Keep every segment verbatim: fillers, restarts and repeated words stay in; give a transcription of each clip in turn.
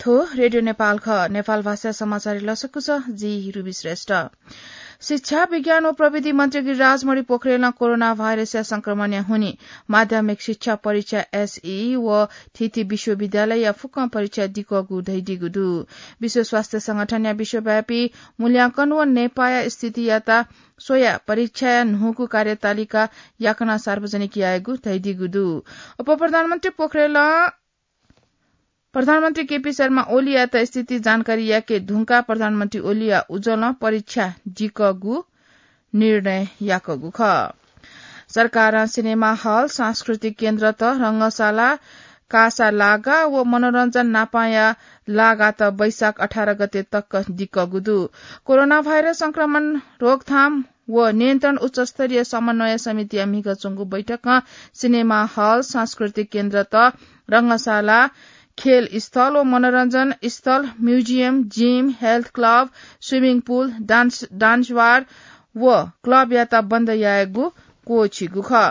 थ्व रेडियो नेपाल खः। नेपाल भाषा समाचार लसकुस, जि रुबी श्रेष्ठ। शिक्षा, विज्ञान व प्रविधि मन्त्री गिरिराज मणि पोखरेलं कोरोना भाइरसया संक्रमणया हुनिं माध्यमिक शिक्षा परीक्षा, एसईई, व थीथी विश्वविद्यालयया फुक्कं परीक्षा दिकःगु धयादीगु दु। विश्व स्वास्थ्य संगठनया विश्वव्यापी मूल्यांकन व नेपाःया स्थितियात स्वयाः परीक्षाया न्हूगु कार्यतालिका याकनं सार्वजनिक यायेगु धयादीगु दु। उपप्रधानमन्त्री पोखरेलं प्रधानमन्त्री केपी शर्मा ओलीयात स्थिति जानकारी याके धुंकाः प्रधानमन्त्री ओलीया उजलं परीक्षा दिकःगु निर्णय याकःगु खः। सरकारं सिनेमा हल, सांस्कृतिक केन्द्रत, रंगशाला, कासा लागा व मनोरञ्जन नापांया लागात वैशाख अठार गते तक दिकःगु दु। कोरोना भाइरस संक्रमण रोकथाम व नियन्त्रण उच्चस्तरीय समन्वय समितिया म्हिगः च्वंगु बैठकं सिनेमा हल, सांस्कृतिक केन्द्रत, रंगशाला, खेल स्थल व मनोरञ्जन स्थल, museum, gym, health club, swimming pool, dance, dance bar व क्लबयात बन्द यायेगु क्वःछिगु खः।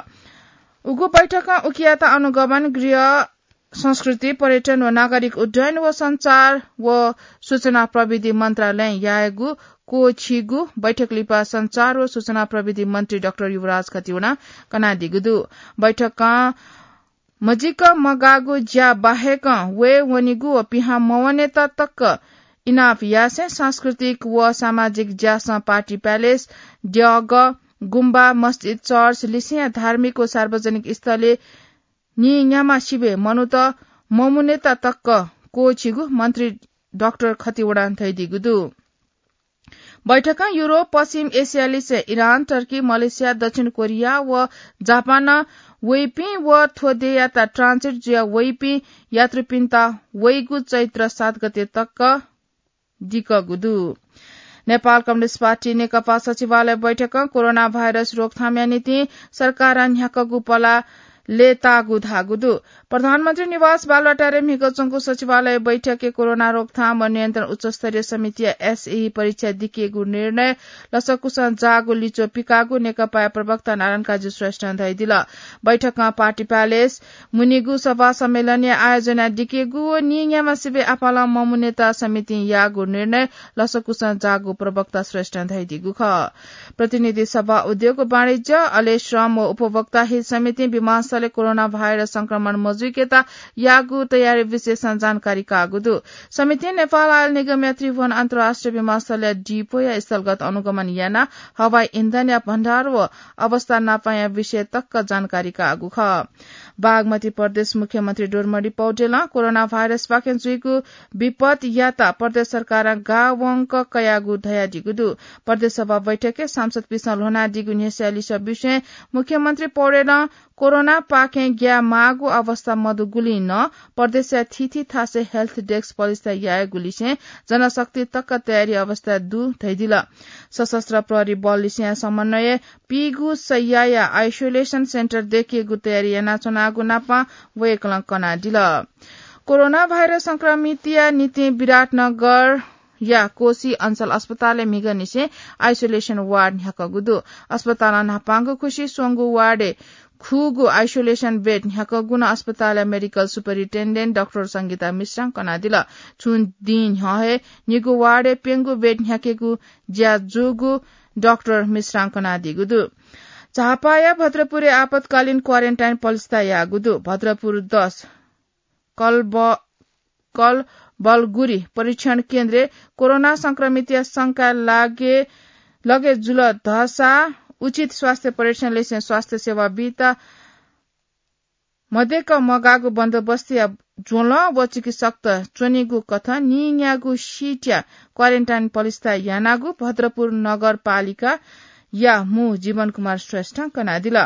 उगु बैठकं उकियात अनुगमन गृह, संस्कृति, पर्यटन व नागरिक उड्डयन व सञ्चार व सूचना प्रविधि मन्त्रालयं यायेगु क्वःछिगु बैठक लिपा सञ्चार व सूचना प्रविधि मन्त्री डाक्टर युवराज खतिवडां कनादीगु दु। बैठकं मजिक मगाःगु ज्या बाहेकं वये वनीगु व पिहां मवनेत तक इनाप यासें सांस्कृतिक व सामाजिक ज्यासं पार्टी प्यालेस, द्यःगः, गुम्बा, मस्जिद, चर्च, लिसेंया धार्मिक व सार्वजनिक स्थलय् नीन्याम्ह सिबें मनूत ममुनेत तक क्वःछिगु मन्त्री डाक्टर खतिवडां धयादीगु दु। बैठकं युरोप, पश्चिम एसिया लिसें इरान, टर्की, मलेसिया, दक्षिण कोरिया व जापानं वइपिं व थ्व देय्‌यात ट्रान्जिट जुया वइपिं यात्रुपिन्त वइगु चैत्र सात गते तक दिकःगु दु। नेपाल कम्युनिस्ट पार्टी नेकपा सचिवालय बैठकं कोरोना भाइरस रोकथामया निंतिं सरकारं न्ह्याकःगु पला लय्‌ताःगु धाःगु दु। प्रधानमन्त्री निवास बालुवाटारय् म्हिगः च्वंगु सचिवालय बैठकय् कोरोना रोकथाम व नियन्त्रण उच्चस्तरीय समितिया एसईई परीक्षा दिकेगु निर्णय लसकुसं जाःगु लिच्वः पिकाःगु नेकपाया प्रवक्ता नारायण काजी श्रेष्ठं धयादिल। बैठकं पार्टी प्यालेस मुनिगु सभा सम्मेलनया आयोजना दिकेगु व नीन्याम्ह सिबें आपालं ममुनेत समितिं याःगु निर्णय लसकुसं जाःगु प्रवक्ता श्रेष्ठं धयादीगु खः। प्रतिनिधि सभा, उद्योग, वाणिज्य, अले श्रम व उपभोक्ता हित समितिं विमानस्थलय् कोरोना भाइरस संक्रमण मजुइकेत याःगु तयारी विशेषं जानकारी काःगु दु। समितिं नेपाल आयल निगमया त्रिभुवन अन्तर्राष्ट्रिय विमानस्थलया डिपोया स्थलगत अनुगमन यानाः हवाई इन्धनया भण्डार व अवस्था नापाया विषय तक जानकारी काःगु खः। बागमती प्रदेश मुख्यमन्त्री डोरमणि पौडेलं कोरोना भाइरसपाखें जुइगु विपदयात प्रदेश सरकारं गावंक कयागु धयादीगु दु। प्रदेश सभा बैठकय् सांसदपिन्सं ल्ह्वनादीगु न्ह्यसः लिसः विषयय् मुख्यमन्त्री पौडेलं कोरोनापाखें ग्याये माःगु अवस्था मदुगुलिं नं प्रदेशया थीथी थासय् हेल्थ डेस्क पलिस्था यायेगुलिसें जनशक्ति तक तयारी अवस्था दु धयादिल। सशस्त्र प्रहरी बललिसेया समन्वयय् पीगू सय्‌याया आइसोलेसन सेन्टर दयेकेगु तयारी यानाच्वनागु नापं वय्‌कलं कनादिल। कोरोना भाइरस संक्रमितया निंतिं विराटनगरया कोशी अञ्चल अस्पतालय् म्हिगःनिसें आइसोलेसन वार्ड न्ह्याकःगु दु। अस्पतालं न्हापांगु खुसि स्वंगू वार्डय् खुगू आइसोलेसन बेड न्ह्याकःगु नं अस्पतालया मेडिकल सुपरिन्टेन्डेन्ट डाक्टर संगीता मिश्रां कनादिल। छुं दिं न्ह्यः हे निगू वार्डय् प्यंगू बेड न्ह्याकेगु ज्या जूगु डाक्टर मिश्रां कनादीगु दु। झापाया भद्रपुरय् आपतकालीन क्वारेन्टाइन पलिस्था याःगु दु। भद्रपुर दस कलबलगुरी परीक्षण केन्द्रय् कोरोना संक्रमितया शंका लगे जुल धाःसा उचित स्वास्थ्य परीक्षण लिसें स्वास्थ्य सेवा बीत मदेक मगाःगु बन्दोबस्तया ज्वलं व चिकित्सकत च्वनीगु कथं नीन्यागू सिटया क्वारेन्टाइन पलिस्था यानागु भद्रपुर नगरपालिकाया मू जीवन कुमार श्रेष्ठं कनादिल।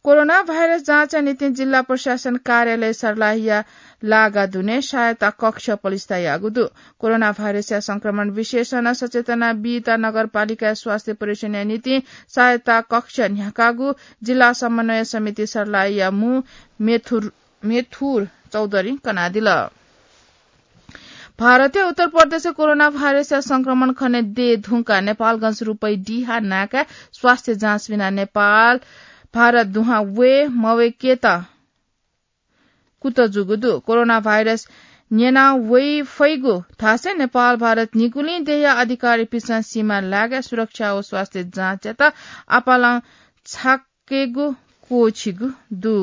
कोरोना भाइरस जाँचया निंतिं जिल्ला प्रशासन कार्यालय सर्लाहीया लागा दुने सहायता कक्ष पलिस्था याःगु दु। कोरोना भाइरसया संक्रमण विषयसं सचेतना बीत नगरपालिकाया स्वास्थ्य परीक्षणया निंतिं सहायता कक्ष न्ह्याकागु जिल्ला समन्वय समिति सर्लाहीया मू मेथुर, मेथुर चौधरीं कनादिल। भारतय् उत्तर प्रदेशय् कोरोना भाइरसया संक्रमण खने दये धुंकाः नेपालगंज रुपै डिहा नाकाय् स्वास्थ्य जाँच बिना नेपाल भारत दुहां वये मवय्‌केत कुतः जूगु दु। कोरोना भाइरस न्यना वइ फइगु धासे नेपाल भारत निगुलिं देया अधिकारीपिसं सीमा लागे सुरक्षा व स्वास्थ्य जाँचयात आपालं छाकेगु क्वःछिगु दु।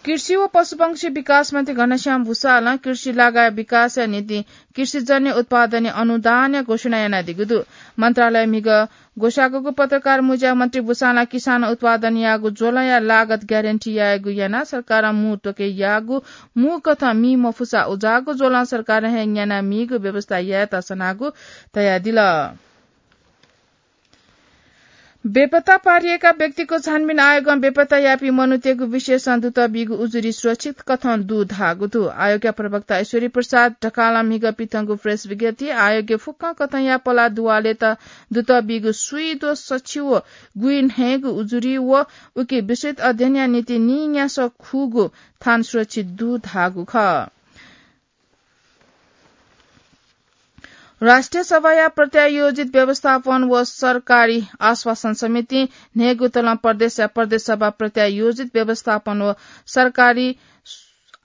कृषि व पशुपंक्षी विकास मन्त्री घनश्याम भूषालं कृषि लागा विकासया निंतिं कृषिजन्य उत्पादन अनुदानया घोषणा यानादीगु दु। मन्त्रालय म्हिगः ग्वसाःगु पत्रकार मुँज्या मन्त्री भूषालं किसान उत्पादन याःगु ज्वलंया लागत ग्यारेन्टी यायेगु यानाः सरकारं मू त्वके याःगु मू कथं मी मफुसा उजाःगु ज्वलं सरकारं हे न्याना मीगु व्यवस्था यायेत सनागु धयादिल। बेपत्ता पारिएका व्यक्तिको छानबिन आयोगं बेपत्ता यापी मनूतय्गु विशेषं दुत बीगु उजुरी सुरक्षित कथं दु धाःगु दु। आयोगया प्रवक्ता ऐश्वरी प्रसाद ढकालं म्हिगः पिथंगु प्रेस विज्ञप्ति आयोगया फुक्कं कथंया पला दुवालेत दुत बीगु स्वीद्वः सछि व गुइन्हय्गु उजुरी व उकी विस्तृत अध्ययनया निंतिं निन्यासः खुगु थान सुरक्षित दु धाःगु खः। राष्ट्रिय सभाया प्रत्यायोजित व्यवस्थापन व सरकारी आश्वासन समिति न्हय्गु तलं प्रदेशया प्रदेश सभा प्रत्यायोजित व्यवस्थापन व सरकारी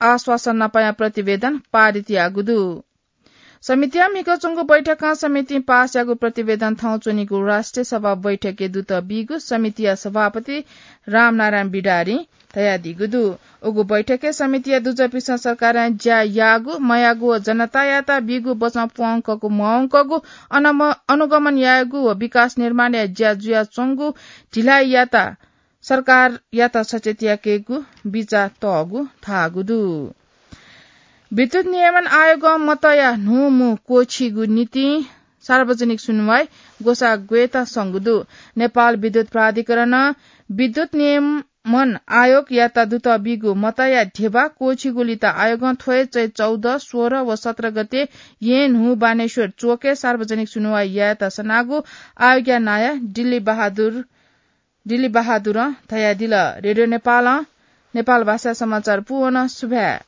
आश्वासन नापाया प्रतिवेदन पारित याःगु दु। समितिया म्हिगः च्वंगु बैठकं समितिं पास याःगु प्रतिवेदन थौं च्वनीगु राष्ट्रिय सभा बैठकय् दुत बीगु समितिया सभापति रामनारायण बिडारीं धयादीगु दु। उगु बैठकय् समितिया दुजःपिसं सरकारं ज्या याःगु, मयाःगु व जनतायात बीगु वचं प्वंकःगु, मवंकःगु, अनम-, अनुगमन यायेगु व विकास निर्माणया ज्या जुयाच्वंगु ढिलाइयात सरकारयात सचेत याकेगु बिचाः तःगु धाःगु दु। विद्युत नियमन आयोगं मतया न्हूम्हू क्वःछिगु निंतिं सार्वजनिक सुनुवाइ ग्वसाः ग्वयेत संगु दु। नेपाल विद्युत प्राधिकरणं विद्युत नियमन आयोगयात दुत बीगु मतया ध्यबा क्वःछिगु लित आयोगं थ्व हे चैत चौध, सोह्र व सत्र गते येँ न्हू बानेश्वर च्वकय् सार्वजनिक सुनुवाइ यायेत सनागु आयोगया नायः दिल्ली बहादुर, दिल्ली बहादुरं धयादिल। रेडियो नेपालं नेपाल भाषा समाचार पूवन सुभाय्।